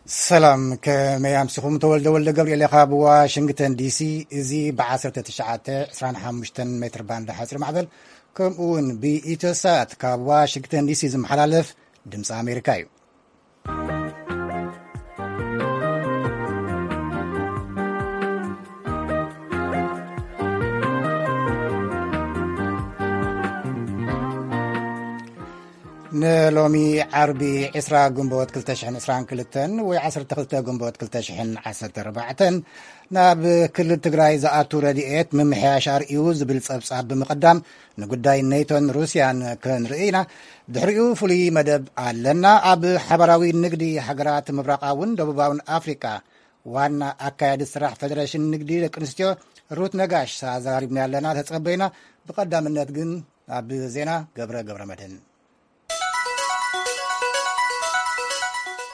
ሰላም፣ ከመይ ኣምሲኹም? ተወልደ ወልደ ገብርኤል ካብ ዋሽንግተን ዲሲ። እዚ ብ1925 ሜትር ባንድ ሓፂር ማዕበል፣ ከምኡ እውን ብኢትዮሳት ካብ ዋሽንግተን ዲሲ ዝመሓላለፍ ድምፂ ኣሜሪካ እዩ። ንሎሚ ዓርቢ ዕስራ ግንቦት ክልተ ሽሕን ዕስራን ክልተን ወይ ዓሰርተ ክልተ ግንቦት ክልተ ሽሕን ዓሰርተ ኣርባዕተን ናብ ክልል ትግራይ ዝኣቱ ረድኤት ምምሕያሽ ኣርእዩ ዝብል ጸብጻብ ብምቕዳም፣ ንጉዳይ ኔቶን ሩስያን ክንርኢ ኢና። ድሕሪኡ ፍሉይ መደብ ኣለና። ኣብ ሓባራዊ ንግዲ ሃገራት ምብራቓውን ደቡባውን ኣፍሪቃ ዋና ኣካያዲ ስራሕ ፌደሬሽን ንግዲ ደቂ ኣንስትዮ ሩት ነጋሽ ኣዘራሪብና ኣለና። ተጸበይና። ብቐዳምነት ግን ኣብ ዜና ገብረ ገብረ መድህን።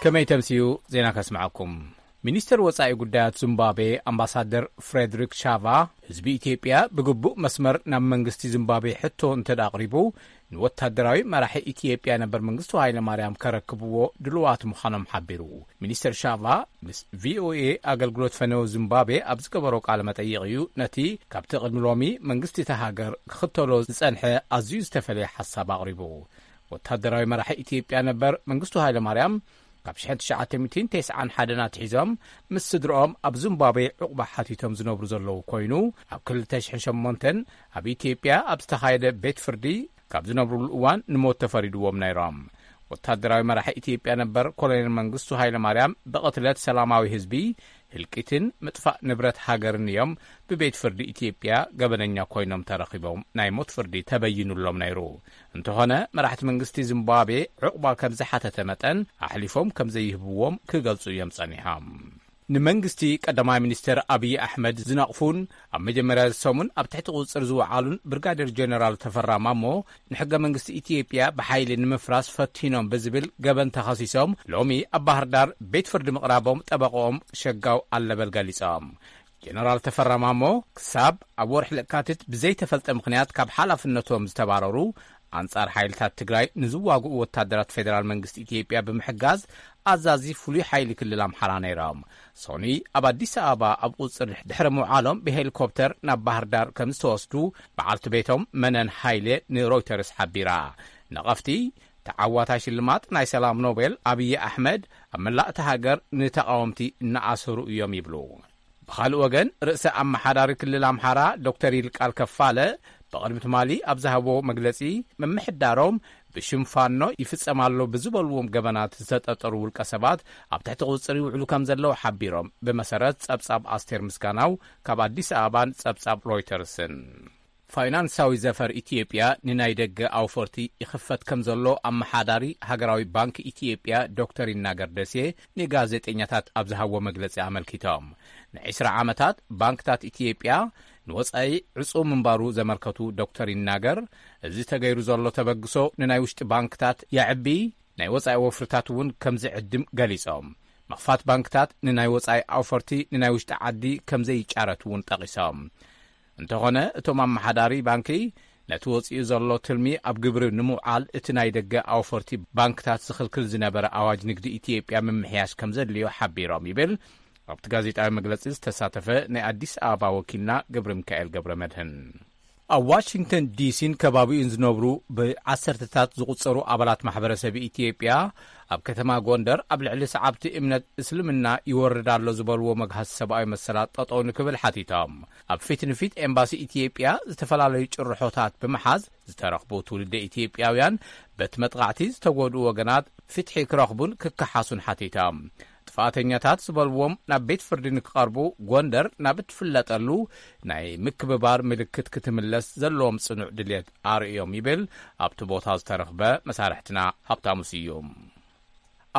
ከመይ ተምስዩ ዜና ከስምዓኩም። ሚኒስተር ወጻኢ ጉዳያት ዚምባብዌ ኣምባሳደር ፍሬድሪክ ሻቫ፣ ህዝቢ ኢትዮጵያ ብግቡእ መስመር ናብ መንግስቲ ዚምባብዌ ሕቶ እንተ ደኣ ኣቕሪቡ፣ ንወታደራዊ መራሒ ኢትዮጵያ ነበር መንግስቱ ሃይለ ማርያም ከረክብዎ ድሉዋት ምዃኖም ሓቢሩ። ሚኒስተር ሻቫ ምስ ቪኦኤ ኣገልግሎት ፈነወ ዚምባብዌ ኣብ ዝገበሮ ቃለ መጠይቕ እዩ ነቲ ካብቲ ቅድሚ ሎሚ መንግስቲ እታ ሃገር ክኽተሎ ዝጸንሐ ኣዝዩ ዝተፈለየ ሓሳብ ኣቕሪቡ። ወታደራዊ መራሒ ኢትዮጵያ ነበር መንግስቱ ሃይለ ማርያም ካብ ሽሕን ትሽዓተ ሚእትን ተስዓን ሓደን ኣትሒዞም ምስ ስድርኦም ኣብ ዚምባብዌ ዕቑባ ሓቲቶም ዝነብሩ ዘለዉ ኮይኑ፣ ኣብ ክልተ ሽሕን ሸሞንተን ኣብ ኢትዮጵያ ኣብ ዝተኻየደ ቤት ፍርዲ ካብ ዝነብሩሉ እዋን ንሞት ተፈሪድዎም ነይሮም። ወታደራዊ መራሒ ኢትዮጵያ ነበር ኮሎኔል መንግስቱ ሃይለ ማርያም ብቕትለት ሰላማዊ ህዝቢ፣ ህልቂትን ምጥፋእ ንብረት ሃገርን እዮም ብቤት ፍርዲ ኢትዮጵያ ገበነኛ ኮይኖም ተረኺቦም ናይ ሞት ፍርዲ ተበይኑሎም ነይሩ። እንተኾነ፣ መራሕቲ መንግስቲ ዚምባብዌ ዕቑባ ከም ዝሓተተ መጠን ኣሕሊፎም ከም ዘይህብዎም ክገልጹ እዮም ጸኒሖም። ንመንግስቲ ቀዳማይ ሚኒስተር ኣብይ ኣሕመድ ዝነቕፉን ኣብ መጀመርያ ሰሙን ኣብ ትሕቲ ቁጽጽር ዝወዓሉን ብርጋዴር ጀነራል ተፈራ ማሞ፣ ንሕገ መንግስቲ ኢትዮጵያ ብሓይሊ ንምፍራስ ፈቲኖም ብዝብል ገበን ተኸሲሶም ሎሚ ኣብ ባህር ዳር ቤት ፍርዲ ምቕራቦም ጠበቆኦም ሸጋው ኣለበል ገሊጾም። ጀነራል ተፈራ ማሞ፣ ክሳብ ኣብ ወርሒ ለካቲት ብዘይተፈልጠ ምኽንያት ካብ ሓላፍነቶም ዝተባረሩ፣ ኣንጻር ሓይልታት ትግራይ ንዝዋግኡ ወታደራት ፌደራል መንግስቲ ኢትዮጵያ ብምሕጋዝ ኣዛዚ ፍሉይ ሓይሊ ክልል ኣምሓራ ነይሮም። ሶኒ ኣብ ኣዲስ ኣበባ ኣብ ቁጽር ድሕሪ ምውዓሎም ብሄሊኮፕተር ናብ ባህር ዳር ከም ዝተወስዱ በዓልቲ ቤቶም መነን ሃይሌ ንሮይተርስ ሓቢራ። ነቐፍቲ፣ ተዓዋታይ ሽልማት ናይ ሰላም ኖቤል ኣብይ ኣሕመድ ኣብ መላእ እታ ሃገር ንተቓወምቲ እናኣሰሩ እዮም ይብሉ። ብኻልእ ወገን፣ ርእሰ ኣመሓዳሪ ክልል ኣምሓራ ዶክተር ይልቃል ከፋለ ብቕድሚ ትማሊ ኣብ ዝሃቦ መግለጺ፣ ምምሕዳሮም ብሽም ፋኖ ይፍጸም ኣሎ ብዝበልዎም ገበናት ዝተጠርጠሩ ውልቀ ሰባት ኣብ ትሕቲ ቁጽሪ ይውዕሉ ከም ዘለዉ ሓቢሮም። ብመሰረት ጸብጻብ ኣስቴር ምስጋናው ካብ ኣዲስ ኣበባን ጸብጻብ ሮይተርስን። ፋይናንሳዊ ዘፈር ኢትዮጵያ ንናይ ደገ ኣውፈርቲ ይኽፈት ከም ዘሎ ኣመሓዳሪ ሃገራዊ ባንክ ኢትዮጵያ ዶክተር ይናገር ደሴ ንጋዜጠኛታት ኣብ ዝሃብዎ መግለጺ ኣመልኪቶም። ንዒስራ ዓመታት ባንክታት ኢትዮጵያ ንወጻኢ ዕጹው ምንባሩ ዘመልከቱ ዶክተር ይናገር፣ እዚ ተገይሩ ዘሎ ተበግሶ ንናይ ውሽጢ ባንክታት የዕቢ፣ ናይ ወጻኢ ወፍርታት እውን ከም ዝዕድም ገሊጾም። ምኽፋት ባንክታት ንናይ ወጻኢ ኣውፈርቲ ንናይ ውሽጢ ዓዲ ከም ዘይጫረት እውን ጠቒሶም። እንተኾነ፣ እቶም ኣመሓዳሪ ባንኪ ነቲ ወጺኡ ዘሎ ትልሚ ኣብ ግብሪ ንምውዓል እቲ ናይ ደገ ኣውፈርቲ ባንክታት ዝኽልክል ዝነበረ ኣዋጅ ንግዲ ኢትዮጵያ ምምሕያሽ ከም ዘድልዮ ሓቢሮም ይብል ኣብቲ ጋዜጣዊ መግለጺ ዝተሳተፈ ናይ ኣዲስ ኣበባ ወኪልና ገብረ ሚካኤል ገብረ መድህን። ኣብ ዋሽንግተን ዲሲን ከባቢኡን ዝነብሩ ብዓሰርተታት ዝቑጸሩ ኣባላት ማሕበረሰብ ኢትዮጵያ ኣብ ከተማ ጎንደር ኣብ ልዕሊ ሰዓብቲ እምነት እስልምና ይወርድ ኣሎ ዝበልዎ መግሃሲ ሰብኣዊ መሰላት ጠጠው ንክብል ሓቲቶም። ኣብ ፊት ንፊት ኤምባሲ ኢትዮጵያ ዝተፈላለዩ ጭርሖታት ብምሓዝ ዝተረኽቡ ትውልደ ኢትዮጵያውያን በቲ መጥቓዕቲ ዝተጎድኡ ወገናት ፍትሒ ክረኽቡን ክከሓሱን ሓቲቶም። ጥፋተኛታት ዝበልዎም ናብ ቤት ፍርዲ ንክቐርቡ ጎንደር ናብ እትፍለጠሉ ናይ ምክብባር ምልክት ክትምለስ ዘለዎም ጽኑዕ ድልየት ኣርእዮም ይብል ኣብቲ ቦታ ዝተረኽበ መሳርሕትና ሃብታሙ ስዩም።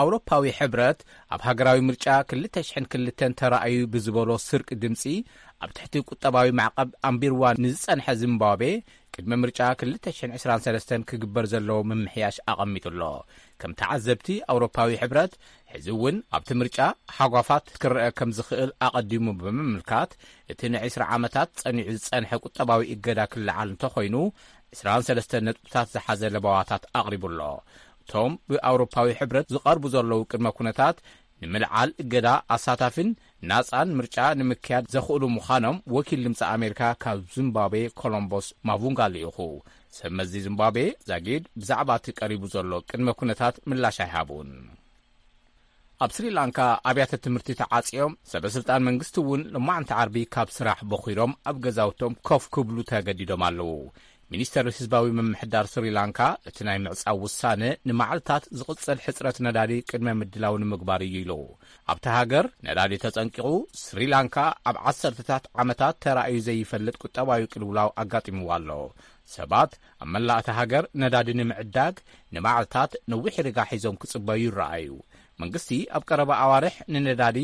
ኣውሮፓዊ ሕብረት ኣብ ሃገራዊ ምርጫ ክልተ ሽሕን ክልተን ተራእዩ ብዝበሎ ስርቂ ድምጺ ኣብ ትሕቲ ቁጠባዊ ማዕቐብ ኣንቢርዋ ንዝጸንሐ ዚምባብዌ ቅድሚ ምርጫ ክልተ ሽሕን ዕስራን ሰለስተን ክግበር ዘለዎ ምምሕያሽ ኣቐሚጡ ኣሎ። ከም ተዓዘብቲ ኣውሮፓዊ ሕብረት፣ ሕዚ እውን ኣብቲ ምርጫ ሓጓፋት ክረአ ከም ዝኽእል ኣቐዲሙ ብምምልካት፣ እቲ ንዒስራ ዓመታት ጸኒዑ ዝጸንሐ ቁጠባዊ እገዳ ክለዓል እንተኾይኑ፣ ዕስራን ሰለስተን ነጥብታት ዝሓዘ ለበዋታት ኣቕሪቡ ኣሎ። እቶም ብኣውሮፓዊ ሕብረት ዝቐርቡ ዘለዉ ቅድመ ኩነታት ንምልዓል እገዳ ኣሳታፍን ናጻን ምርጫ ንምክያድ ዘኽእሉ ምዃኖም ወኪል ድምፂ ኣሜሪካ ካብ ዚምባብዌ ኮሎምቦስ ማቡንጋ ልኢኹ። ሰብ መዚ ዚምባብዌ ዛጊድ ብዛዕባ እቲ ቀሪቡ ዘሎ ቅድመ ኩነታት ምላሽ ኣይሃቡን። ኣብ ስሪላንካ ኣብያተ ትምህርቲ ተዓጽዮም፣ ሰበ ስልጣን መንግስቲ እውን ሎማዕንቲ ዓርቢ ካብ ስራሕ በኺሮም ኣብ ገዛውቶም ኮፍ ክብሉ ተገዲዶም ኣለዉ። ሚኒስተር ህዝባዊ ምምሕዳር ስሪላንካ እቲ ናይ ምዕጻው ውሳነ ንመዓልታት ዝቕጽል ሕጽረት ነዳዲ ቅድመ ምድላው ንምግባር እዩ ኢሉ። ኣብቲ ሃገር ነዳዲ ተጸንቂቑ፣ ስሪላንካ ኣብ ዓሰርተታት ዓመታት ተራእዩ ዘይፈልጥ ቁጠባዊ ቅልውላው ኣጋጢምዋ ኣሎ። ሰባት ኣብ መላእ እታ ሃገር ነዳዲ ንምዕዳግ ንመዓልታት ነዊሕ ርጋ ሒዞም ክጽበዩ ይረኣዩ። መንግስቲ ኣብ ቀረባ ኣዋርሕ ንነዳዲ፣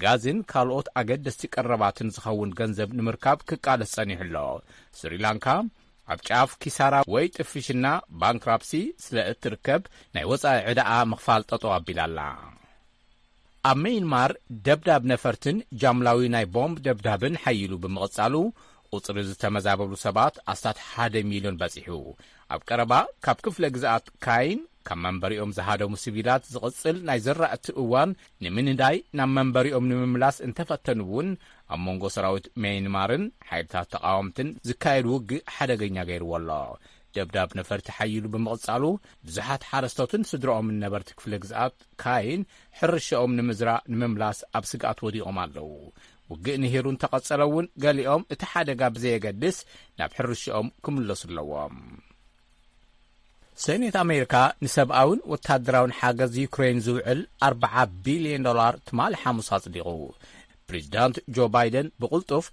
ጋዝን ካልኦት ኣገደስቲ ቀረባትን ዝኸውን ገንዘብ ንምርካብ ክቃለስ ጸኒሑ ኣሎ። ስሪላንካ ኣብ ጫፍ ኪሳራ ወይ ጥፍሽና፣ ባንክራፕሲ፣ ስለ እትርከብ ናይ ወጻኢ ዕዳኣ ምኽፋል ጠጠው ኣቢላ ኣላ። ኣብ መይንማር ደብዳብ ነፈርትን ጃምላዊ ናይ ቦምብ ደብዳብን ሓይሉ ብምቕጻሉ፣ ቁጽሪ ዝተመዛበሉ ሰባት ኣስታት ሓደ ሚልዮን በጺሑ። ኣብ ቀረባ ካብ ክፍለ ግዝኣት ካይን ካብ መንበሪኦም ዝሃደሙ ሲቪላት ዝቕጽል ናይ ዘራእቲ እዋን ንምንዳይ ናብ መንበሪኦም ንምምላስ እንተፈተኑ እውን፣ ኣብ መንጎ ሰራዊት መይንማርን ሓይልታት ተቓወምትን ዝካየድ ውግእ ሓደገኛ ገይርዎ ኣሎ። ደብዳብ ነፈርቲ ሓይሉ ብምቕጻሉ፣ ብዙሓት ሓረስቶትን ስድራኦምን ነበርቲ ክፍለ ግዝኣት ካይን ሕርሻኦም ንምዝራእ ንምምላስ ኣብ ስግኣት ወዲቖም ኣለዉ። ውግእ ንሂሩ እንተቐጸለ እውን፣ ገሊኦም እቲ ሓደጋ ብዘየገድስ ናብ ሕርሻኦም ክምለሱ ኣለዎም። ሰኔት ኣሜሪካ ንሰብኣውን ወታደራውን ሓገዝ ዩክሬን ዝውዕል ኣርብዓ ቢልዮን ዶላር ትማሊ ሓሙስ ኣጽዲቑ። ፕሬዚዳንት ጆ ባይደን ብቕልጡፍ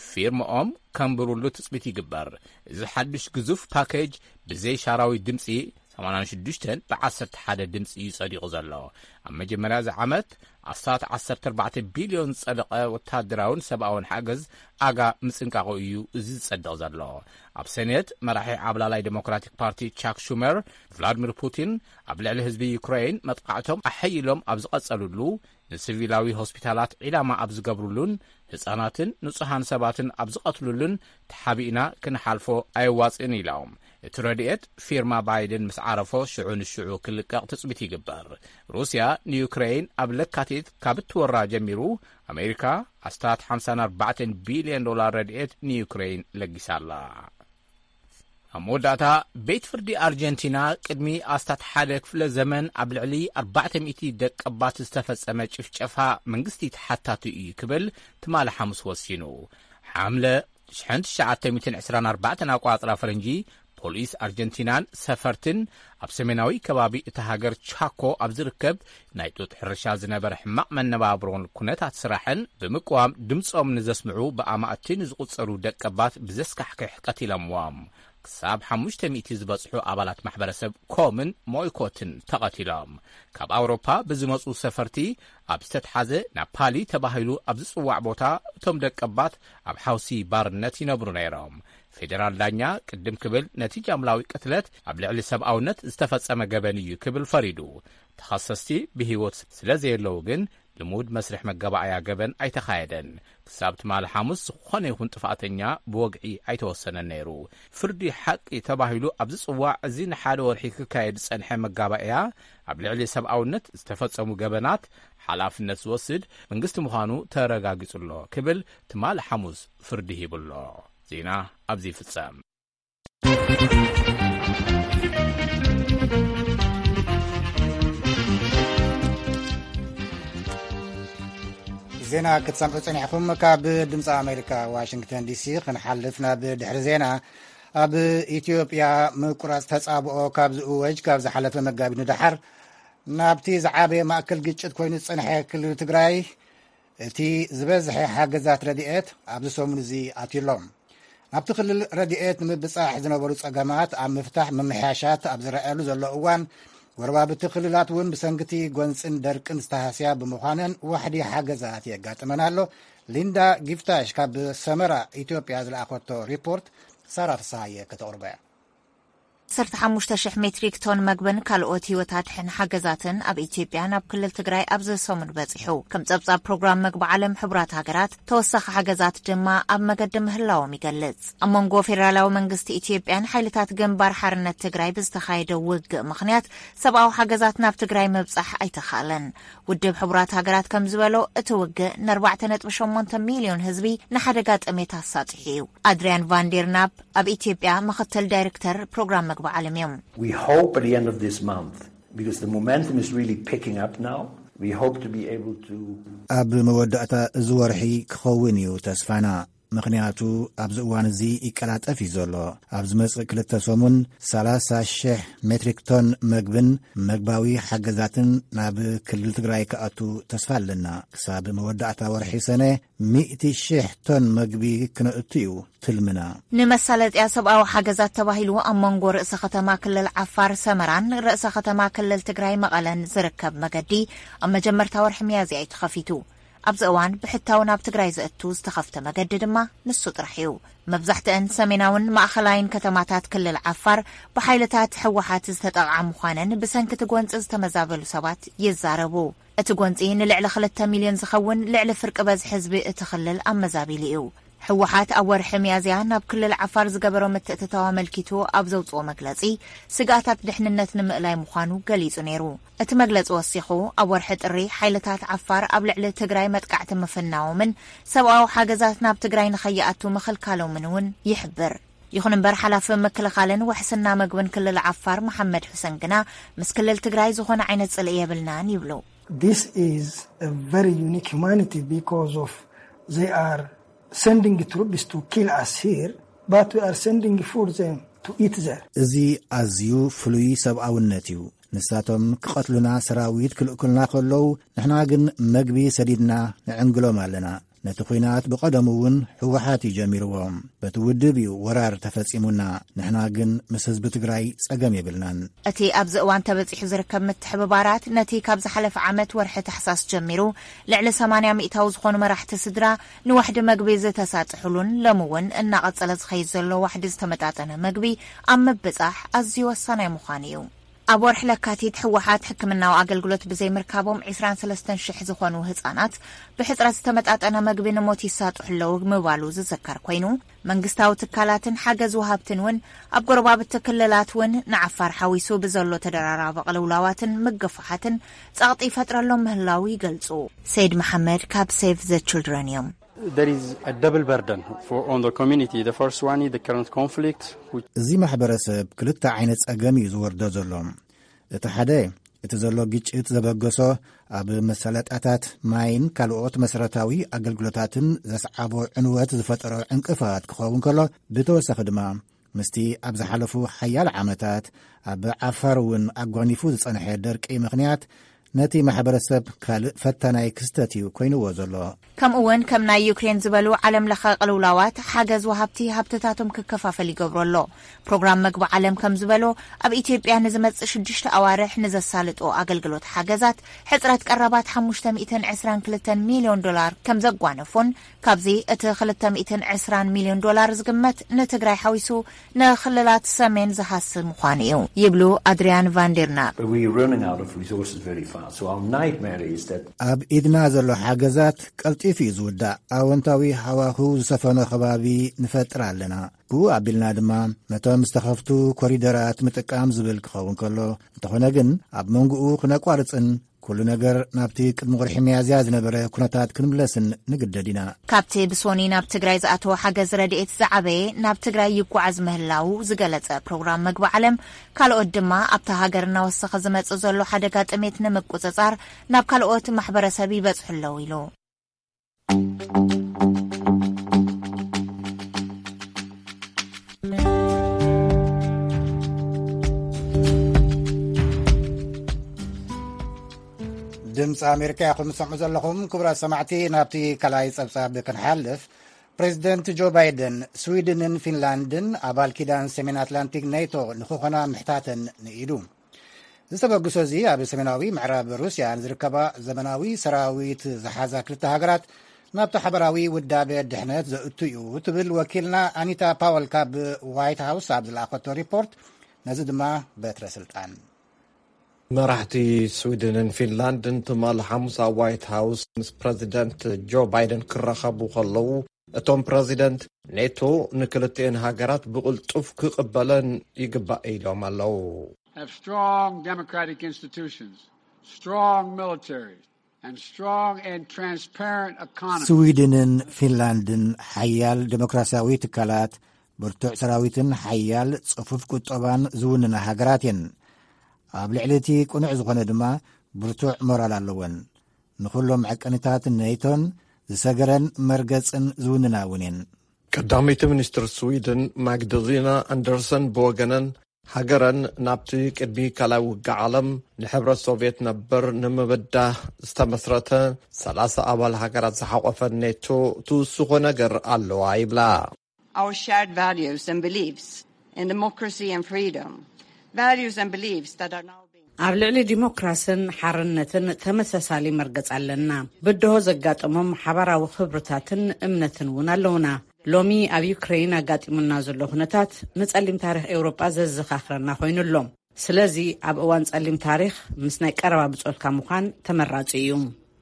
ፊርምኦም ከንብሩሉ ትጽቢት ይግበር። እዚ ሓድሽ ግዙፍ ፓኬጅ ብዘይ ሻራዊ ድምጺ ሰማንያን ሽዱሽተን ብ ዓሰርተ ሓደ ድምጺ እዩ ጸዲቑ ዘሎ። ኣብ መጀመርያ እዚ ዓመት ኣስታት ዓሰርተ ኣርባዕተ ቢልዮን ዝጸደቐ ወታደራውን ሰብኣውን ሓገዝ ኣጋ ምጽንቃቑ እዩ እዚ ዝጸድቕ ዘሎ። ኣብ ሰኔት መራሒ ዓብላላይ ዴሞክራቲክ ፓርቲ ቻክ ሹመር፣ ቭላድሚር ፑቲን ኣብ ልዕሊ ህዝቢ ዩክሬን መጥቃዕቶም ኣሐይሎም ኣብ ዝቐጸሉሉ፣ ንሲቪላዊ ሆስፒታላት ዒላማ ኣብ ዝገብሩሉን ህጻናትን ንጹሃን ሰባትን ኣብ ዝቐትሉሉን ተሓቢእና ክንሓልፎ ኣየዋጽእን ኢሎም። እቲ ረድኤት ፊርማ ባይደን ምስ ዓረፎ ሽዑ ንሽዑ ክልቀቕ ትጽቢት ይግበር። ሩስያ ንዩክሬን ኣብ ለካቲት ካብ እትወራ ጀሚሩ፣ ኣሜሪካ ኣስታት ሓምሳን ኣርባዕተን ቢልዮን ዶላር ረድኤት ንዩክሬን ለጊሳ ኣላ። ኣብ መወዳእታ፣ ቤት ፍርዲ ኣርጀንቲና ቅድሚ ኣስታት ሓደ ክፍለ ዘመን ኣብ ልዕሊ ኣርባዕተ ሚእቲ ደቀባት ዝተፈጸመ ጭፍጨፋ መንግስቲ ተሓታቲ እዩ ክብል ትማሊ ሓሙስ ወሲኑ። ሓምለ ሽሕን ትሽዓተ ሚእትን ዕስራን ኣርባዕተን ኣቋጽራ ፈረንጂ፣ ፖሊስ ኣርጀንቲናን ሰፈርትን ኣብ ሰሜናዊ ከባቢ እታ ሃገር ቻኮ ኣብ ዝርከብ ናይ ጡጥ ሕርሻ ዝነበረ ሕማቕ መነባብሮን ኩነታት ስራሕን ብምቅዋም ድምጾም ንዘስምዑ ብኣማእቲ ንዝቑጸሩ ደቀባት ብዘስካሕክሕ ቀቲሎምዎም። ክሳብ ሓሙሽተ ሚእቲ ዝበጽሑ ኣባላት ማሕበረሰብ ኮምን ሞይኮትን ተቐቲሎም። ካብ ኣውሮፓ ብዝመጹ ሰፈርቲ ኣብ ዝተትሓዘ ናፓሊ ተባሂሉ ኣብ ዝጽዋዕ ቦታ እቶም ደቀባት ኣብ ሓውሲ ባርነት ይነብሩ ነይሮም። ፌደራል ዳኛ ቅድም ክብል ነቲ ጃምላዊ ቅትለት ኣብ ልዕሊ ሰብኣውነት ዝተፈጸመ ገበን እዩ ክብል ፈሪዱ። ተኸሰስቲ ብህይወት ስለ ዘየለዉ ግን ልሙድ መስርሕ መጋባእያ ገበን ኣይተኻየደን። ክሳብ ትማሊ ሓሙስ ዝኾነ ይኹን ጥፍኣተኛ ብወግዒ ኣይተወሰነን ነይሩ። ፍርዲ ሓቂ ተባሂሉ ኣብ ዝጽዋዕ እዚ ንሓደ ወርሒ ክካየድ ዝጸንሐ መጋባእያ ኣብ ልዕሊ ሰብኣውነት ዝተፈጸሙ ገበናት ሓላፍነት ዝወስድ መንግስቲ ምዃኑ ተረጋጊጹ ኣሎ ክብል ትማሊ ሓሙስ ፍርዲ ሂቡ ኣሎ። ዜና ኣብዚ ይፍጸም። ዜና ክትሰምዑ ጸኒሕኩም። ካብ ድምፂ ኣሜሪካ ዋሽንግተን ዲሲ ክንሓልፍ ናብ ድሕሪ ዜና። ኣብ ኢትዮጵያ ምቁራፅ ተፃብኦ ካብ ዝእወጅ ካብ ዝሓለፈ መጋቢት ንደሓር ናብቲ ዝዓበየ ማእከል ግጭት ኮይኑ ዝፀንሐ ክልል ትግራይ እቲ ዝበዝሐ ሓገዛት ረድኤት ኣብዚ ሰሙን እዚ ኣትዩ ኣሎ። ናብቲ ክልል ረድኤት ንምብጻሕ ዝነበሩ ጸገማት ኣብ ምፍታሕ ምምሕያሻት ኣብ ዝረኣየሉ ዘሎ እዋን፣ ጎረባብቲ ክልላት እውን ብሰንክቲ ጎንጽን ደርቅን ዝተሃስያ ብምዃነን ዋሕዲ ሓገዛት የጋጥመን ኣሎ። ሊንዳ ጊፍታሽ ካብ ሰመራ ኢትዮጵያ ዝለኣኸቶ ሪፖርት ሳራ ፍስሃየ ከተቕርቦ እያ። ዓሰርተ ሓሙሽተ ሽሕ ሜትሪክ ቶን መግብን ካልኦት ህይወት ኣድሕን ሓገዛትን ኣብ ኢትዮጵያ ናብ ክልል ትግራይ ኣብዚ ሰሙን በጺሑ። ከም ጸብጻብ ፕሮግራም መግቢ ዓለም ሕቡራት ሃገራት፣ ተወሳኺ ሓገዛት ድማ ኣብ መገዲ ምህላዎም ይገልጽ። ኣብ መንጎ ፌደራላዊ መንግስቲ ኢትዮጵያን ሓይልታት ግንባር ሓርነት ትግራይ ብዝተኻየደ ውግእ ምኽንያት ሰብኣዊ ሓገዛት ናብ ትግራይ ምብጻሕ ኣይተኻእለን። ውድብ ሕቡራት ሃገራት ከም ዝበሎ፣ እቲ ውግእ ን ኣርባዕተ ነጥቢ ሸሞንተ ሚልዮን ህዝቢ ንሓደጋ ጥሜት ኣሳጢሑ እዩ። ኣድሪያን ቫንዴርናፕ ኣብ ኢትዮጵያ ምኽትል ዳይሬክተር ፕሮግራም መግቢ ዓለም እዮም። We hope at the end of this month, because the momentum is really picking up now, we hope to be able to ኣብ መወዳእታ እዚ ወርሒ ክኸውን እዩ ተስፋና። ምኽንያቱ ኣብዚ እዋን እዚ ይቀላጠፍ እዩ ዘሎ። ኣብ ዝመጽእ ክልተ ሰሙን ሰላሳ ሽሕ ሜትሪክ ቶን መግብን መግባዊ ሓገዛትን ናብ ክልል ትግራይ ክኣቱ ተስፋ ኣለና። ክሳብ መወዳእታ ወርሒ ሰነ ሚእቲ ሽሕ ቶን መግቢ ክነእቱ እዩ ትልምና። ንመሳለጥያ ሰብኣዊ ሓገዛት ተባሂሉ ኣብ መንጎ ርእሰ ከተማ ክልል ዓፋር ሰመራን ርእሰ ከተማ ክልል ትግራይ መቐለን ዝርከብ መገዲ ኣብ መጀመርታ ወርሒ ሚያዝያ እዩ ተኸፊቱ። ኣብዚ እዋን ብሕታዊ ናብ ትግራይ ዘእቱ ዝተኸፍተ መገዲ ድማ ንሱ ጥራሕ እዩ። መብዛሕትአን ሰሜናውን ማእኸላይን ከተማታት ክልል ዓፋር ብሓይልታት ህወሓት ዝተጠቕዓ ምዃነን ብሰንኪ እቲ ጎንፂ ዝተመዛበሉ ሰባት ይዛረቡ። እቲ ጎንፂ ንልዕሊ ክልተ ሚልዮን ዝኸውን ልዕሊ ፍርቂ በዝሒ ህዝቢ እቲ ክልል ኣመዛቢሉ እዩ። ህወሓት ኣብ ወርሒ ሚያዝያ ናብ ክልል ዓፋር ዝገበሮ ምትእትታው ኣመልኪቱ ኣብ ዘውፅኦ መግለፂ፣ ስግኣታት ድሕንነት ንምእላይ ምዃኑ ገሊጹ ነይሩ። እቲ መግለጺ ወሲኹ፣ ኣብ ወርሒ ጥሪ ሓይልታት ዓፋር ኣብ ልዕሊ ትግራይ መጥቃዕቲ ምፍናዎምን ሰብኣዊ ሓገዛት ናብ ትግራይ ንኸይኣቱ ምኽልካሎምን እውን ይሕብር። ይኹን እምበር፣ ሓላፊ ምክልኻልን ውሕስና መግብን ክልል ዓፋር መሓመድ ሑሰን ግና፣ ምስ ክልል ትግራይ ዝኾነ ዓይነት ጽልኢ የብልናን ይብሉ። This is a very unique humanity because of they are sending troops to kill us here, but we are sending food them to eat there. እዚ ኣዝዩ ፍሉይ ሰብኣውነት እዩ። ንሳቶም ክቐትሉና ሰራዊት ክልእኩልና ከለዉ፣ ንሕና ግን መግቢ ሰዲድና ንዕንግሎም ኣለና። ነቲ ኲናት ብቐደሙ እውን ህወሓት እዩ ጀሚርዎ። በቲ ውድብ እዩ ወራር ተፈጺሙና። ንሕና ግን ምስ ህዝቢ ትግራይ ጸገም የብልናን። እቲ ኣብዚ እዋን ተበጺሑ ዝርከብ ምትሕብባራት፣ ነቲ ካብ ዝሓለፈ ዓመት ወርሒ ታሕሳስ ጀሚሩ፣ ልዕሊ ሰማንያ ሚእታዊ ዝኾኑ መራሕቲ ስድራ ንዋሕዲ መግቢ ዝተሳጥሕሉን፣ ሎሚ እውን እናቐጸለ ዝኸይድ ዘሎ ዋሕዲ ዝተመጣጠነ መግቢ ኣብ ምብጻሕ ኣዝዩ ወሳናይ ምዃኑ እዩ። ኣብ ወርሒ ለካቲት፣ ህወሓት ሕክምናዊ ኣገልግሎት ብዘይምርካቦም ዒስራን ሰለስተን ሽሕ ዝኾኑ ህጻናት ብሕጽረት ዝተመጣጠነ መግቢ ንሞት ይሳጥሑ ኣለዉ ምባሉ ዝዝከር ኮይኑ፣ መንግስታዊ ትካላትን ሓገዝ ወሃብትን እውን ኣብ ጎረባብቲ ክልላት እውን ንዓፋር ሓዊሱ ብዘሎ ተደራራቢ ቅልውላዋትን ምግፋሓትን ጸቕጢ ይፈጥረሎም ምህላዉ ይገልጹ። ሰይድ መሓመድ ካብ ሴቭ ዘ ችልድረን እዮም። There is a double burden for, on the community. The first one is the current conflict, which እዚ ማሕበረሰብ ክልተ ዓይነት ጸገም እዩ ዝወርዶ ዘሎ። እቲ ሓደ፣ እቲ ዘሎ ግጭት ዘበገሶ፣ ኣብ መሳለጥያታት ማይን ካልኦት መሰረታዊ ኣገልግሎታትን ዘስዓቦ ዕንወት ዝፈጠሮ ዕንቅፋት ክኸውን ከሎ፣ ብተወሳኺ ድማ ምስቲ ኣብ ዝሓለፉ ሓያሎ ዓመታት ኣብ ዓፋር እውን ኣጓኒፉ ዝጸንሐ ደርቂ ምኽንያት ነቲ ማሕበረሰብ ካልእ ፈታናይ ክስተት እዩ ኮይንዎ ዘሎ። ከምኡ እውን ከም ናይ ዩክሬን ዝበሉ ዓለም ለኸ ቅልውላዋት ሓገዝ ወሃብቲ ሃብትታቶም ክከፋፈል ይገብሮ ኣሎ። ፕሮግራም መግቢ ዓለም ከም ዝበሎ፣ ኣብ ኢትዮጵያ ንዝመጽእ ሽዱሽተ ኣዋርሕ ንዘሳልጦ ኣገልግሎት ሓገዛት ሕጽረት ቀረባት ሓሙሽተ ሚእትን ዕስራን ክልተን ሚልዮን ዶላር ከም ዘጓነፎን፣ ካብዚ እቲ ክልተ ሚእትን ዕስራን ሚልዮን ዶላር ዝግመት ንትግራይ ሓዊሱ ንክልላት ሰሜን ዝሃስብ ምዃኑ እዩ ይብሉ ኣድሪያን ቫንዴርናፕ። But we are running out of resources very fast. So our nightmare is that ኣብ ኢድና ዘሎ ሓገዛት ቀልጢፉ እዩ ዝውዳእ። ኣወንታዊ ሃዋህው ዝሰፈኖ ከባቢ ንፈጥር ኣለና። ብኡ ኣቢልና ድማ ነቶም ዝተኸፍቱ ኮሪደራት ምጥቃም ዝብል ክኸውን ከሎ፣ እንተኾነ ግን ኣብ መንጎኡ ክነቋርጽን ኩሉ ነገር ናብቲ ቅድሚ ወርሒ ሚያዝያ ዝነበረ ኩነታት ክንምለስን ንግደድ ኢና። ካብቲ ብሶኒ ናብ ትግራይ ዝኣተወ ሓገዝ ረድኤት ዝዓበየ ናብ ትግራይ ይጓዓዝ ምህላዉ ዝገለጸ ፕሮግራም መግቢ ዓለም፣ ካልኦት ድማ ኣብታ ሃገር እናወሰኸ ዝመጽእ ዘሎ ሓደጋ ጥሜት ንምቁጽጻር ናብ ካልኦት ማሕበረሰብ ይበጽሑ ኣለዉ ኢሉ። ድምፂ ኣሜሪካ ኢኹም ትሰምዑ ዘለኹም። ክቡራት ሰማዕቲ፣ ናብቲ ካልኣይ ጸብጻብ ክንሓልፍ፣ ፕሬዚደንት ጆ ባይደን ስዊድንን ፊንላንድን ኣባል ኪዳን ሰሜን ኣትላንቲክ ኔቶ ንክኾና ምሕታተን ንኢዱ። ዝተበግሶ እዚ ኣብ ሰሜናዊ ምዕራብ ሩስያ ንዝርከባ ዘመናዊ ሰራዊት ዝሓዛ ክልተ ሃገራት ናብቲ ሓበራዊ ውዳበ ድሕነት ዘእቱ እዩ ትብል ወኪልና ኣኒታ ፓወል ካብ ዋይት ሃውስ ኣብ ዝለኣኸቶ ሪፖርት። ነዚ ድማ በትረ ስልጣን መራሕቲ ስዊድንን ፊንላንድን ትማሊ ሓሙስ ኣብ ዋይት ሃውስ ምስ ፕረዚደንት ጆ ባይደን ክራኸቡ ከለዉ፣ እቶም ፕረዚደንት ኔቶ ንክልቲኤን ሃገራት ብቕልጡፍ ክቕበለን ይግባእ ኢሎም ኣለዉ። Have strong democratic institutions, strong militaries, and strong and transparent economies. ስዊድንን ፊንላንድን ሓያል ዴሞክራሲያዊ ትካላት፣ ብርቱዕ ሰራዊትን ሓያል ጽፉፍ ቁጠባን ዝውንና ሃገራት እየን። ኣብ ልዕሊ እቲ ቅኑዕ ዝኾነ ድማ ብርቱዕ ሞራል ኣለወን። ንኹሎም ዕቅንታት ኔቶን ዝሰገረን መርገጽን ዝውንና እውን እየን። ቀዳመይቲ ሚኒስትር ስዊድን ማግዳሊና ኣንደርሰን ብወገነን፣ ሃገረን ናብቲ ቅድሚ ካልኣይ ውግእ ዓለም ንሕብረት ሶቭየት ነበር ንምብዳህ ዝተመስረተ ሰላሳ ኣባል ሃገራት ዝሓቖፈ ኔቶ ትውስኾ ነገር ኣለዋ ይብላ። Our shared values and beliefs in democracy and freedom, values and beliefs that are now being ኣብ ልዕሊ ዲሞክራስን ሓርነትን ተመሳሳሊ መርገጽ ኣለና። ብድሆ ዘጋጠሞም ሓባራዊ ክብርታትን እምነትን እውን ኣለውና። ሎሚ ኣብ ዩክሬን ኣጋጢሙና ዘሎ ኩነታት ንጸሊም ታሪኽ ኤውሮጳ ዘዘኻኽረና ኮይኑ ኣሎ። ስለዚ ኣብ እዋን ጸሊም ታሪኽ ምስ ናይ ቀረባ ብጾትካ ምዃን ተመራጺ እዩ።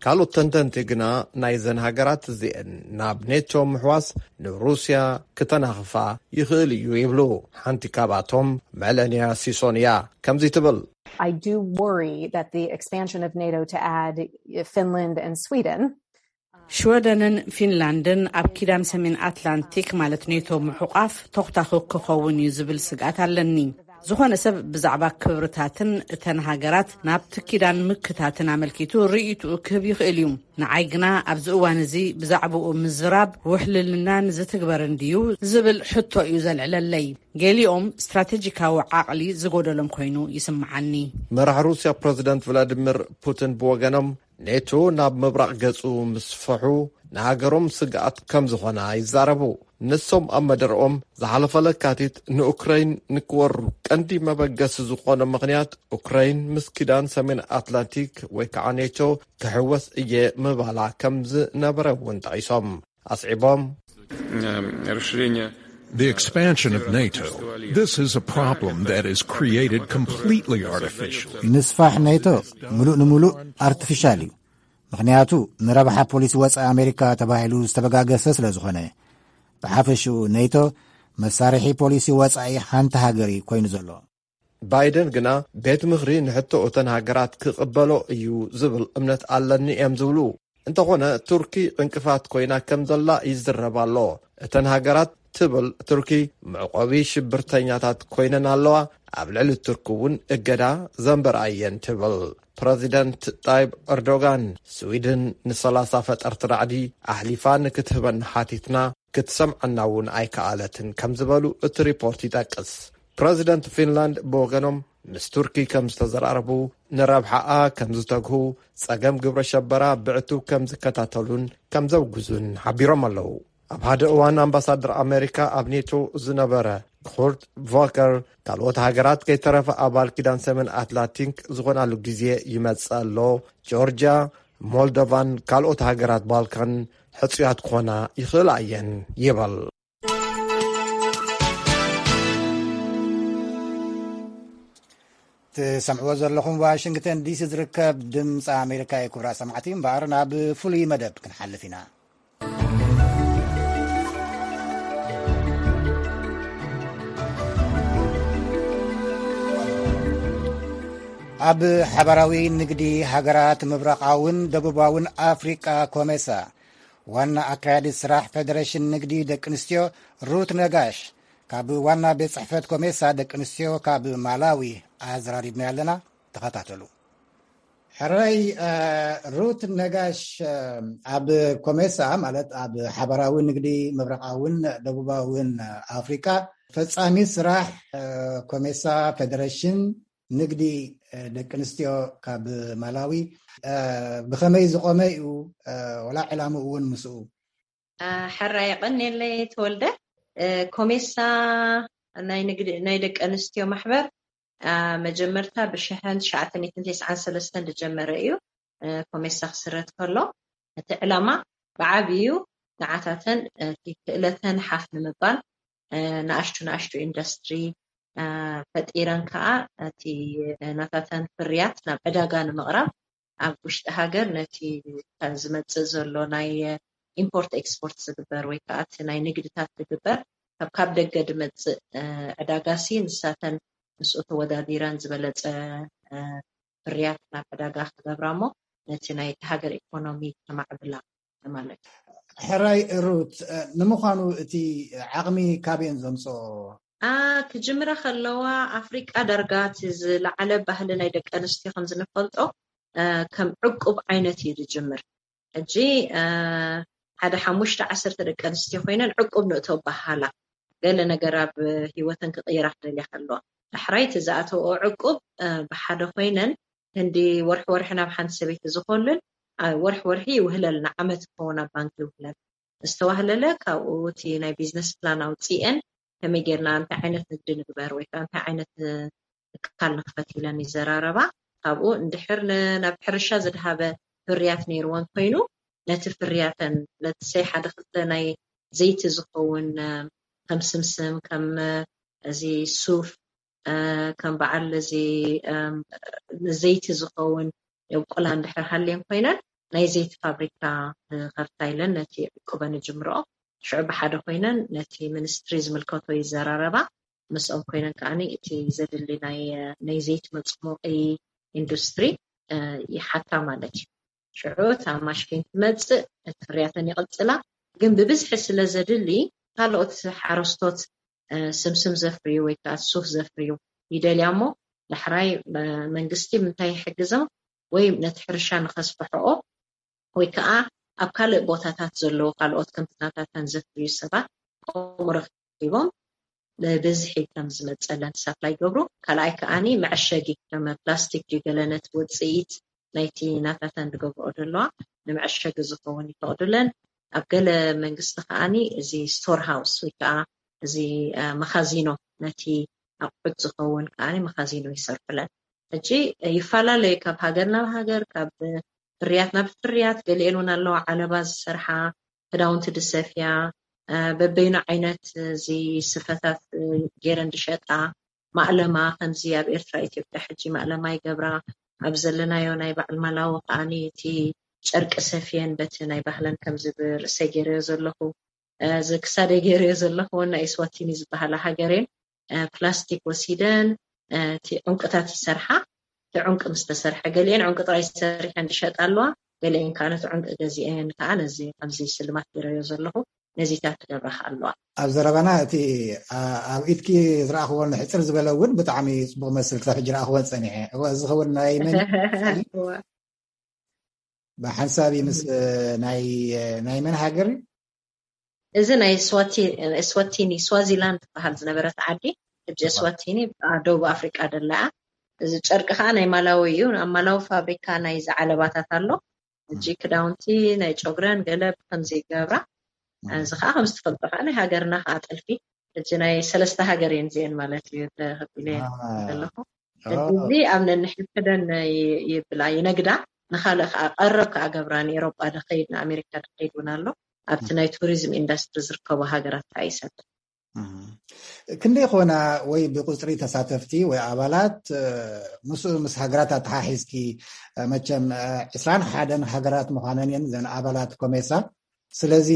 ካልኦት ተንተንቲ ግና ናይዘን ሃገራት እዚአን ናብ ኔቶ ምሕዋስ ንሩስያ ክተናኽፋ ይኽእል እዩ ይብሉ። ሓንቲ ካብኣቶም መለንያ ሲሶን እያ። ከምዚ ትብል። I do worry that the expansion of NATO to add Finland and Sweden ሽወደንን ፊንላንድን ኣብ ኪዳን ሰሜን ኣትላንቲክ ማለት ኔቶ ምሑቓፍ ተኹታኹ ክኸውን እዩ ዝብል ስግኣት ኣለኒ። ዝኾነ ሰብ ብዛዕባ ክብርታትን እተን ሃገራት ናብቲ ኪዳን ምክታትን ኣመልኪቱ ርእይትኡ ክህብ ይኽእል እዩ። ንዓይ ግና ኣብዚ እዋን እዚ ብዛዕባኡ ምዝራብ ውሕልልና ንዝትግበር እንድዩ ዝብል ሕቶ እዩ ዘልዕለለይ። ገሊኦም ስትራቴጂካዊ ዓቕሊ ዝጎደሎም ኮይኑ ይስምዓኒ። መራሕ ሩስያ ፕረዚደንት ቭላዲሚር ፑቲን ብወገኖም ኔቶ ናብ ምብራቕ ገጹ ምስፍሑ ንሃገሮም ስግኣት ከም ዝኾና ይዛረቡ። ንሶም ኣብ መደርኦም ዝሓለፈ ለካቲት ንኡክረይን ንክወሩ ቀንዲ መበገሲ ዝኾነ ምኽንያት ኡክረይን ምስ ኪዳን ሰሜን ኣትላንቲክ ወይ ከዓ ኔቶ ክሕወስ እየ ምባላ ከም ዝነበረ እውን ጠቒሶም ኣስዒቦም The expansion of NATO, this is a problem that is created completely artificially. ምስፋሕ ኔቶ ምሉእ ንምሉእ ኣርቲፊሻል እዩ። ምኽንያቱ ንረብሓ ፖሊሲ ወፃኢ ኣሜሪካ ተባሂሉ ዝተበጋገሰ ስለ ዝኾነ፣ ብሓፈሽኡ ኔቶ መሳርሒ ፖሊሲ ወፃኢ ሓንቲ ሃገር እዩ ኮይኑ ዘሎ። ባይደን ግና ቤት ምኽሪ ንሕቶ እተን ሃገራት ክቕበሎ እዩ ዝብል እምነት ኣለኒ እዮም ዝብሉ። እንተኾነ ቱርኪ ዕንቅፋት ኮይና ከም ዘላ ይዝረብ ኣሎ። እተን ሃገራት ትብል ቱርኪ መዕቆቢ ሽብርተኛታት ኮይነን ኣለዋ፣ ኣብ ልዕሊ ቱርኪ እውን እገዳ ዘንበራ እየን ትብል። ፕረዚደንት ጣይብ ኤርዶጋን ስዊድን ንሰላሳ ፈጠርቲ ራዕዲ ኣሕሊፋ ንክትህበና ሓቲትና ክትሰምዓና እውን ኣይከኣለትን ከም ዝበሉ እቲ ሪፖርት ይጠቅስ። ፕረዚደንት ፊንላንድ ብወገኖም ምስ ቱርኪ ከም ዝተዘራረቡ ንረብሓኣ ከም ዝተግሁ ጸገም ግብረ ሸበራ ብዕቱብ ከም ዝከታተሉን ከም ዘውግዙን ሓቢሮም ኣለዉ። ኣብ ሓደ እዋን ኣምባሳደር ኣሜሪካ ኣብ ኔቶ ዝነበረ ኩርት ቮከር ካልኦት ሃገራት ከይተረፈ ኣባል ኪዳን ሰሜን ኣትላንቲክ ዝኾናሉ ግዜ ይመጽእ ኣሎ። ጆርጅያ፣ ሞልዶቫን ካልኦት ሃገራት ባልካን ሕጹያት ክኾና ይኽእላ እየን ይብል። ትሰምዕዎ ዘለኹም ዋሽንግተን ዲሲ ዝርከብ ድምፂ ኣሜሪካ እዩ። ክቡራት ሰማዕቲ እምበኣር ናብ ፍሉይ መደብ ክንሓልፍ ኢና። ኣብ ሓባራዊ ንግዲ ሃገራት ምብራቓውን ደቡባውን ኣፍሪቃ ኮሜሳ ዋና ኣካያዲት ስራሕ ፌደሬሽን ንግዲ ደቂ ኣንስትዮ ሩት ነጋሽ ካብ ዋና ቤት ጽሕፈት ኮሜሳ ደቂ ኣንስትዮ ካብ ማላዊ ኣዘራሪብና ኣለና። ተኸታተሉ። ሕራይ ሩት ነጋሽ ኣብ ኮሜሳ ማለት ኣብ ሓባራዊ ንግዲ ምብራቓውን ደቡባውን ኣፍሪቃ ፈጻሚ ስራሕ ኮሜሳ ፌደሬሽን ንግዲ ደቂ ኣንስትዮ ካብ ማላዊ ብኸመይ ዝቆመ እዩ? ወላ ዕላምኡ እውን ምስኡ። ሕራይ የቐንየለይ ተወልደ። ኮሜሳ ናይ ንግዲ ናይ ደቂ ኣንስትዮ ማሕበር መጀመርታ ብሽሕን ትሽዓተ ሚእትን ተስዓን ሰለስተን ዝጀመረ እዩ። ኮሜሳ ክስረት ከሎ እቲ ዕላማ ብዓብዩ ንዓታተን ክእለተን ሓፍ ንምባል ንኣሽቱ ንኣሽቱ ኢንዱስትሪ ፈጢረን ከዓ እቲ ናታተን ፍርያት ናብ ዕዳጋ ንምቕራብ ኣብ ውሽጢ ሃገር ነቲ ዝመፅእ ዘሎ ናይ ኢምፖርት ኤክስፖርት ዝግበር ወይ ከዓ እቲ ናይ ንግድታት ዝግበር ካብ ካብ ደገ ዝመፅእ ዕዳጋ ሲ ንሳተን ምስኡ ተወዳዲረን ዝበለፀ ፍርያት ናብ ዕዳጋ ክገብራ እሞ ነቲ ናይ ሃገር ኢኮኖሚ ከማዕብላ ማለት እዩ። ሕራይ ሩት፣ ንምዃኑ እቲ ዓቕሚ ካበየን ዘምፅኦ? ክጅምራ ከለዋ ኣፍሪቃ ዳርጋ እቲ ዝለዓለ ባህሊ ናይ ደቂ ኣንስትዮ ከም ዝንፈልጦ ከም ዕቁብ ዓይነት እዩ ዝጅምር። ሕጂ ሓደ ሓሙሽተ ዓሰርተ ደቂ ኣንስትዮ ኮይነን ዕቁብ ንእቶ በሃላ ገለ ነገር ኣብ ህይወተን ክቕይራ ክደልያ ከለዋ ዳሕራይ እቲ ዝኣተወኦ ዕቁብ ብሓደ ኮይነን ህንዲ ወርሒ ወርሒ ናብ ሓንቲ ሰበይቲ ዝኾልን ወርሒ ወርሒ ይውህለልና ዓመት ክኸውን ኣብ ባንክ ይውህለል ዝተዋህለለ ካብኡ እቲ ናይ ቢዝነስ ፕላን ኣውፅኤን ከመይ ጌርና እንታይ ዓይነት ንግዲ ንግበር ወይ ከዓ እንታይ ዓይነት ትካል ንክፈት ኢለን ይዘራረባ። ካብኡ እንድሕር ናብ ሕርሻ ዝድሃበ ፍርያት ነይርወን ኮይኑ ነቲ ፍርያተን ለትሰይ ሓደ ክልተ ናይ ዘይቲ ዝኸውን ከም ስምስም ከም እዚ ሱፍ ከም በዓል እዚ ዘይቲ ዝኸውን የብቆላ እንድሕር ሃልየን ኮይነን ናይ ዘይቲ ፋብሪካ ንኸፍታ ኢለን ነቲ ዕቁበን ይጅምርኦ። ሽዑ ብሓደ ኮይነን ነቲ ሚኒስትሪ ዝምልከቶ ይዘራረባ። ምስኦም ኮይነን ከዓኒ እቲ ዘድሊ ናይ ዘይቲ መፅሞቂ ኢንዱስትሪ ይሓታ ማለት እዩ። ሽዑ እታ ማሽን ትመፅእ፣ እቲ ፍርያተን ይቕፅላ። ግን ብብዝሒ ስለ ዘድሊ ካልኦት ሓረስቶት ስምስም ዘፍርዩ ወይ ከዓ ሱፍ ዘፍርዩ ይደልያ እሞ ዳሕራይ መንግስቲ ምንታይ ይሕግዞም ወይ ነቲ ሕርሻ ንኸስፍሕኦ ወይ ከዓ ኣብ ካልእ ቦታታት ዘለዉ ካልኦት ከምትናታተን ዘፍርዩ ሰባት ከምኡ ረኪቦም ብብዝሒ ከም ዝመፀለን ሳፕላይ ይገብሩ። ካልኣይ ከዓኒ መዐሸጊ ከም ፕላስቲክ ድዩ ገለ ነቲ ውፅኢት ናይቲ ናታተን ዝገብርኦ ዘለዋ ንመዐሸጊ ዝኸውን ይፈቕዱለን። ኣብ ገለ መንግስቲ ከዓኒ እዚ ስቶር ሃውስ ወይ ከዓ እዚ መኻዚኖ ነቲ ኣቑሑት ዝኸውን ከዓኒ መኻዚኖ ይሰርሑለን። ሕጂ ይፈላለዩ ካብ ሃገር ናብ ሃገር ካብ ፍርያት ናብ ፍርያት ገሊኤን እውን ኣለዋ ዓለባ ዝሰርሓ ክዳውንቲ ድሰፍያ በበይኑ ዓይነት እዚ ስፈታት ገይረን ድሸጣ ማእለማ ከምዚ ኣብ ኤርትራ ኢትዮጵያ ሕጂ ማእለማ ይገብራ ኣብ ዘለናዮ ናይ በዓል ማላዊ ከዓኒ እቲ ጨርቂ ሰፍየን በቲ ናይ ባህለን ከምዚ ብርእሰይ ገይረዮ ዘለኹ እዚ ክሳደይ ገይረዮ ዘለኹ እውን ናይ ስዋቲኒ ዝበሃላ ሃገሬን ፕላስቲክ ወሲደን እቲ ዕንቁታት ይሰርሓ እቲ ዕንቂ ምስ ተሰርሐ ገሊአን ዕንቂ ጥራይ ሰሪሐን ዝሸጣ ኣለዋ ገሊአን ከዓ ነቲ ዕንቂ ገዚአን ከዓ ነዚ ከምዚ ስልማት ገይረዮ ዘለኹ ነዚታት ክገብራ ከዓ ኣለዋ ኣብ ዘረባና እቲ ኣብ ኢድኪ ዝረኣኽዎ ንሕፅር ዝበለ እውን ብጣዕሚ ፅቡቅ መስል ክሳብ ሕጂ ረኣኽወን ፀኒሐ እዚ ኸውን ናይ መን ብሓንሳብ ምስ ናይ ናይ መን ሃገር እዚ ናይ ስዋቲኒ ስዋዚላንድ ትበሃል ዝነበረት ዓዲ ሕጂ ስዋቲኒ ደቡብ ኣፍሪቃ ደለኣ እዚ ጨርቂ ከዓ ናይ ማላዊ እዩ ኣብ ማላዊ ፋብሪካ ናይ ዝዓለባታት ኣሎ ሕጂ ክዳውንቲ ናይ ጨጉረን ገለ ብከምዚ ይገብራ እዚ ከዓ ከምዝትፈልጦ ከዓ ናይ ሃገርና ከዓ ጥልፊ ሕጂ ናይ ሰለስተ ሃገር እየን እዚአን ማለት እዩ ተኸቢለ ዘለኹ እዚ ኣብ ነንሕድሕደን ይብላ ይነግዳ ንካልእ ከዓ ቀረብ ከዓ ገብራ ንኤሮጳ ድኸይድ ንኣሜሪካ ድኸይድ እውን ኣሎ ኣብቲ ናይ ቱሪዝም ኢንዳስትሪ ዝርከቡ ሃገራት ከዓ ይሰድ ክንደይ ኮና ወይ ብቁፅሪ ተሳተፍቲ ወይ ኣባላት ምስ ምስ ሃገራት ኣተሓሒዝኪ መቸም ዕስራን ሓደን ሃገራት ምዃነን እየን ዘን ኣባላት ኮሜሳ ስለዚ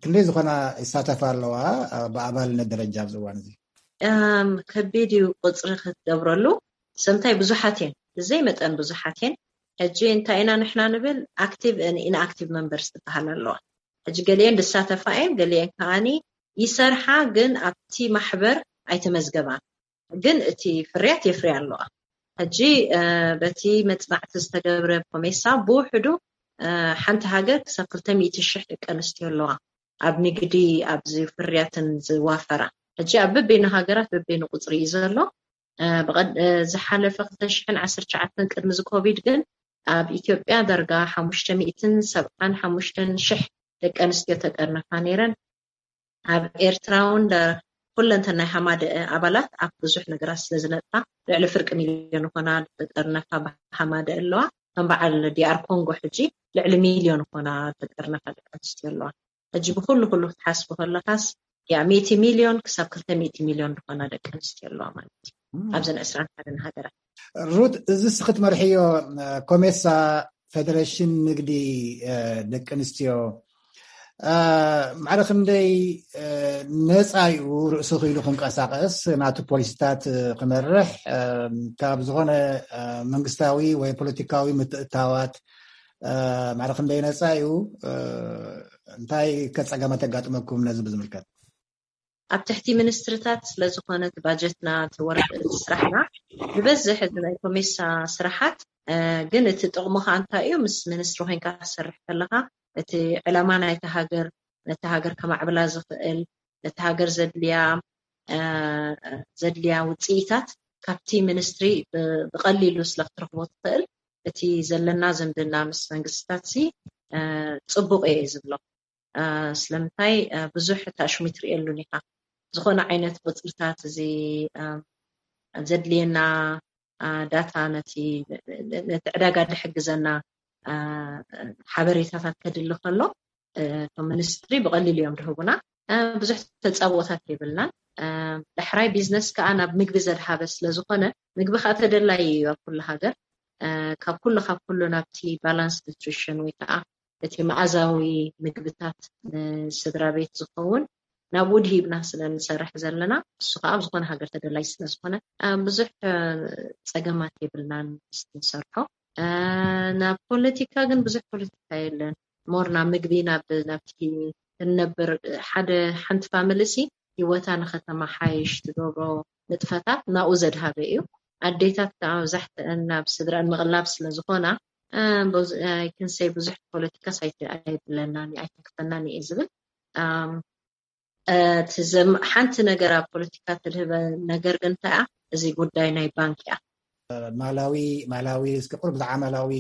ክንደይ ዝኾና ይሳተፋ ኣለዋ ብኣባልነት ደረጃ ኣብዚ እዋን እዚ ከቢድ እዩ ቁፅሪ ክትገብረሉ ሰምታይ ብዙሓት እየን ብዘይ መጠን ብዙሓት እየን ሕጂ እንታይ ኢና ንሕና ንብል ኣክቲቭ ኢንኣክቲቭ መንበርስ ትበሃል ኣለዋ ሕጂ ገሊአን ዝሳተፋ እየን ገሊአን ከዓኒ ይሰርሓ ግን ኣብቲ ማሕበር ኣይተመዝገባን ግን እቲ ፍርያት የፍርያ ኣለዋ ሕጂ በቲ መፅናዕቲ ዝተገብረ ኮሜሳ ብውሕዱ ሓንቲ ሃገር ክሳብ ክልተ ሚእቲ ሽሕ ደቂ ኣንስትዮ ኣለዋ ኣብ ንግዲ ኣብዚ ፍርያትን ዝዋፈራ ሕጂ ኣብ በበይኑ ሃገራት በበይኑ ቁፅሪ እዩ ዘሎ ዝሓለፈ ክልተ ሽሕን ዓሰርተ ትሽዓተን ቅድሚ እዚ ኮቪድ ግን ኣብ ኢትዮጵያ ዳርጋ ሓሙሽተ ሚእትን ሰብዓን ሓሙሽተን ሽሕ ደቂ ኣንስትዮ ተጠርነፋ ነይረን ኣብ ኤርትራ እውን ኩለንተን ናይ ሃማደአ ኣባላት ኣብ ብዙሕ ነገራት ስለ ዝነጥፋ ልዕሊ ፍርቂ ሚልዮን ዝኾና ተጠርነፋ ብሃማደ ኣለዋ ከም በዓል ዲኣር ኮንጎ ሕጂ ልዕሊ ሚልዮን ዝኾና ተጠርነፋ ደቂ ኣንስትዮ ኣለዋ ሕጂ ብኩሉ ኩሉ ክትሓስቡ ከለካስ ያ ሚእቲ ሚልዮን ክሳብ ክልተ ሚእቲ ሚልዮን ዝኾና ደቂ ኣንስትዮ ኣለዋ ማለት እዩ። ኣብዘን ዕስራን ሓደን ሃገራት። ሩት፣ እዚ እስኺ ትመርሕዮ ኮሜሳ፣ ፌደሬሽን ንግዲ ደቂ ኣንስትዮ፣ ማዕረ ክንደይ ነፃ እዩ ርእሱ ክኢሉ ክንቀሳቀስ፣ ናቱ ፖሊሲታት ክመርሕ? ካብ ዝኾነ መንግስታዊ ወይ ፖለቲካዊ ምትእታዋት ማዕረ ክንደይ ነፃ እዩ? እንታይ ከፀገማት የጋጥመኩም ነዚ ብዝምልከት? ኣብ ትሕቲ ሚኒስትርታት ስለዝኾነ እቲ ባጀትና፣ እቲ ወረቀት፣ እቲ ስራሕና ዝበዝሕ፣ እዚ ናይ ኮሜሳ ስራሓት። ግን እቲ ጥቕሙ ከዓ እንታይ እዩ? ምስ ሚኒስትሪ ኮይንካ ክትሰርሕ ከለካ፣ እቲ ዕላማ ናይቲ ሃገር፣ ነቲ ሃገር ከማዕብላ ዝኽእል፣ ነቲ ሃገር ዘድልያ ዘድልያ ውፅኢታት ካብቲ ሚኒስትሪ ብቐሊሉ ስለ ክትረኽቦ ትኽእል፣ እቲ ዘለና ዝምድና ምስ መንግስትታት ሲ ፅቡቅ እየ ዝብሎ። ስለምንታይ ብዙሕ ታሽሙ ትሪእየሉን ኢኻ። ዝኾነ ዓይነት ቁፅርታት፣ እዚ ዘድልየና ዳታ፣ ነቲ ነቲ ዕዳጋ ዝሕግዘና ሓበሬታታት ከድሊ ከሎ፣ እቶም ሚኒስትሪ ብቐሊሉ እዮም ዝህቡና። ብዙሕ ተፃብኦታት የብልናን። ዳሕራይ ቢዝነስ ከዓ ናብ ምግቢ ዘድሃበ ስለዝኾነ፣ ምግቢ ከዓ ተደላዪ እዩ ኣብ ኩሉ ሃገር። ካብ ኩሉ ካብ ኩሉ ናብቲ ባላንስ ኒትሪሽን ወይ ከዓ እቲ መኣዛዊ ምግብታት ንስድራ ቤት ዝኸውን ናብኡ ድሂብና ስለ ንሰርሕ ዘለና፣ እሱ ከዓ ኣብ ዝኾነ ሃገር ተደላይ ስለ ዝኾነ ብዙሕ ፀገማት የብልናን ንሰርሖ። ናብ ፖለቲካ ግን ብዙሕ ፖለቲካ የለን። ሞር ናብ ምግቢ ናብ ናብቲ እንነብር ሓደ ሓንቲ ፋሚሊ ሲ ህይወታ ንከተማሓይሽ ትገብሮ ንጥፈታት ናብኡ ዘድሃበ እዩ። ኣዴታት ከዓ መብዛሕትአን ናብ ስድራን ምቕላብ ስለዝኾና፣ ክንሰይ ብዙሕ ፖለቲካ ሳይቲ ኣይብለናን ኣይተክፈናን እየ ዝብል። እቲ ሓንቲ ነገር ኣብ ፖለቲካ ትልህበ ነገር ግን እንታይ እያ? እዚ ጉዳይ ናይ ባንክ እያ። ማላዊ ማላዊ እስኪ ቁር ብዛዕባ ማላዊ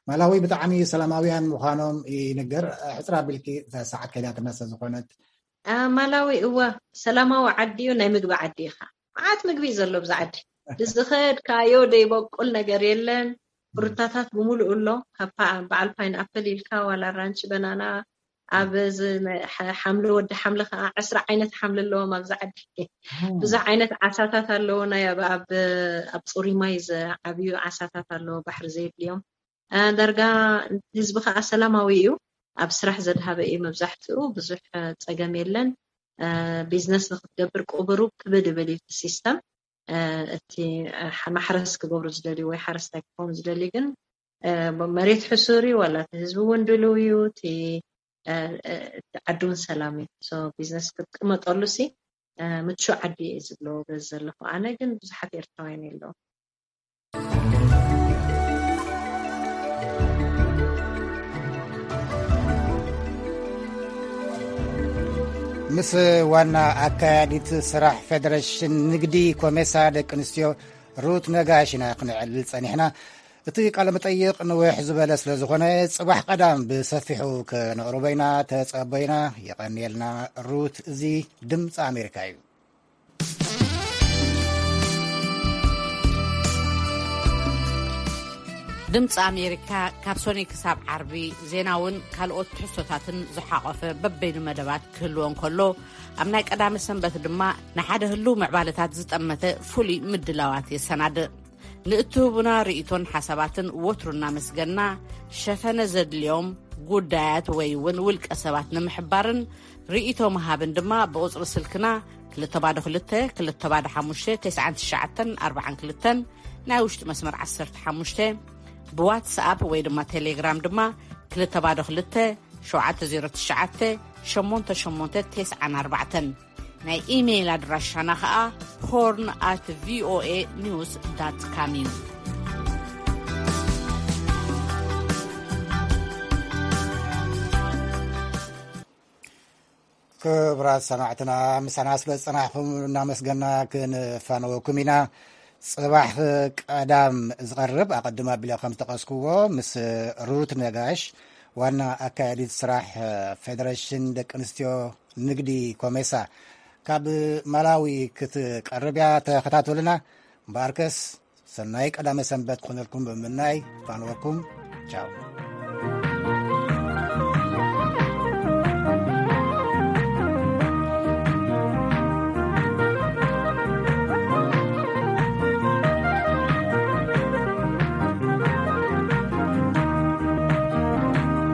ማላዊ ብጣዕሚ ሰላማውያን ምዃኖም ይንገር። ሕፅር ኣቢልኪ፣ ሰዓት ከይዳትና ስለዝኾነት። ማላዊ እወ፣ ሰላማዊ ዓዲ እዩ፣ ናይ ምግቢ ዓዲ ኢኻ። መዓት ምግቢ እዩ ዘሎ ብዛ ዓዲ። ዝኸድካዮ ዘይበቁል ነገር የለን። ፍሩታታት ብምሉእ ኣሎ። ካብ በዓል ፓይን ኣፕል ኢልካ ዋላ ኣራንቺ፣ በናና፣ ኣብ እዚ ሓምሊ፣ ወዲ ሓምሊ ከዓ ዕስራ ዓይነት ሓምሊ ኣለዎም ኣብዛ ዓዲ። ብዙሕ ዓይነት ዓሳታት ኣለዎ። ናይ ኣብ ኣብ ኣብ ፅሩይ ማይ ዝዓብዩ ዓሳታት ኣለዎ፣ ባሕሪ ዘየድልዮም። ዳርጋ ህዝቢ ከዓ ሰላማዊ እዩ። ኣብ ስራሕ ዘድሃበ እዩ መብዛሕትኡ። ብዙሕ ፀገም የለን። ቢዝነስ ንክትገብር ቁብሩ ክብድ ይብል እዩ እቲ ሲስተም። እቲ ማሕረስ ክገብሩ ዝደልዩ ወይ ሓረስታይ ክኾኑ ዝደልዩ ግን መሬት ሕሱር እዩ፣ ዋላ እቲ ህዝቢ እውን ድልው እዩ። እቲ ዓዲ እውን ሰላም እዩ። ቢዝነስ ክትቅመጠሉ ሲ ምቹ ዓዲ እየ ዝብሎ በዚ ዘለኹ። ኣነ ግን ብዙሓት ኤርትራውያን የለዉ። ምስ ዋና ኣካያዲት ስራሕ ፌደሬሽን ንግዲ ኮሜሳ ደቂ ኣንስትዮ ሩት ነጋሽ ኢና ክንዕልል ጸኒሕና። እቲ ቃለ መጠይቕ ንውሕ ዝበለ ስለ ዝኾነ፣ ጽባሕ ቀዳም ብሰፊሑ ከነቕርቦ ኢና። ተጸበዩና። የቐንየልና ሩት። እዚ ድምፂ ኣሜሪካ እዩ። ድምፂ ኣሜሪካ ካብ ሶኒ ክሳብ ዓርቢ ዜናውን ካልኦት ትሕዝቶታትን ዝሓቖፈ በበይኑ መደባት ክህልዎ እንከሎ፣ ኣብ ናይ ቀዳመ ሰንበት ድማ ንሓደ ህልው ምዕባለታት ዝጠመተ ፍሉይ ምድላዋት የሰናድእ። ንእትህቡና ርእይቶን ሓሳባትን ወትሩ እናመስገና፣ ሸፈነ ዘድልዮም ጉዳያት ወይ እውን ውልቀ ሰባት ንምሕባርን ርእይቶ ምሃብን ድማ ብቁጽሪ ስልክና ክልተ ባዶ ክልተ፣ ክልተ ባዶ ሓሙሽተ፣ ተስዓን ትሽዓተን ኣርባዓን ክልተን፣ ናይ ውሽጢ መስመር ዓሰርተ ሓሙሽተ፣ ብዋትስኣፕ ወይ ድማ ቴሌግራም ድማ ክልተ ባዶ ክልተ፣ ሸውዓተ ዜሮ ትሽዓተ፣ ሸሞንተ ሸሞንተ ተስዓን ኣርባዕተን። ናይ ኢሜይል ኣድራሻና ኸኣ ሆርን ኣት ቪኦኤ ኒውስ ዳት ካም እዩ። ክቡራት ሰማዕትና፣ ምሳና ስለ ዝጸናሕኩም እናመስገና ክንፋነወኩም ኢና። ጽባሕ ቀዳም ዝቐርብ፣ ኣቐድም ኣቢለ ከም ዝጠቐስክዎ፣ ምስ ሩት ነጋሽ፣ ዋና ኣካያዲት ስራሕ ፌደሬሽን ደቂ ኣንስትዮ ንግዲ ኮሜሳ፣ ካብ ማላዊ ክትቀርብ እያ። ተኸታተሉና። እምበኣርከስ፣ ሰናይ ቀዳመ ሰንበት ክኾነልኩም ብምምናይ፣ ፋንወኩም። ቻው።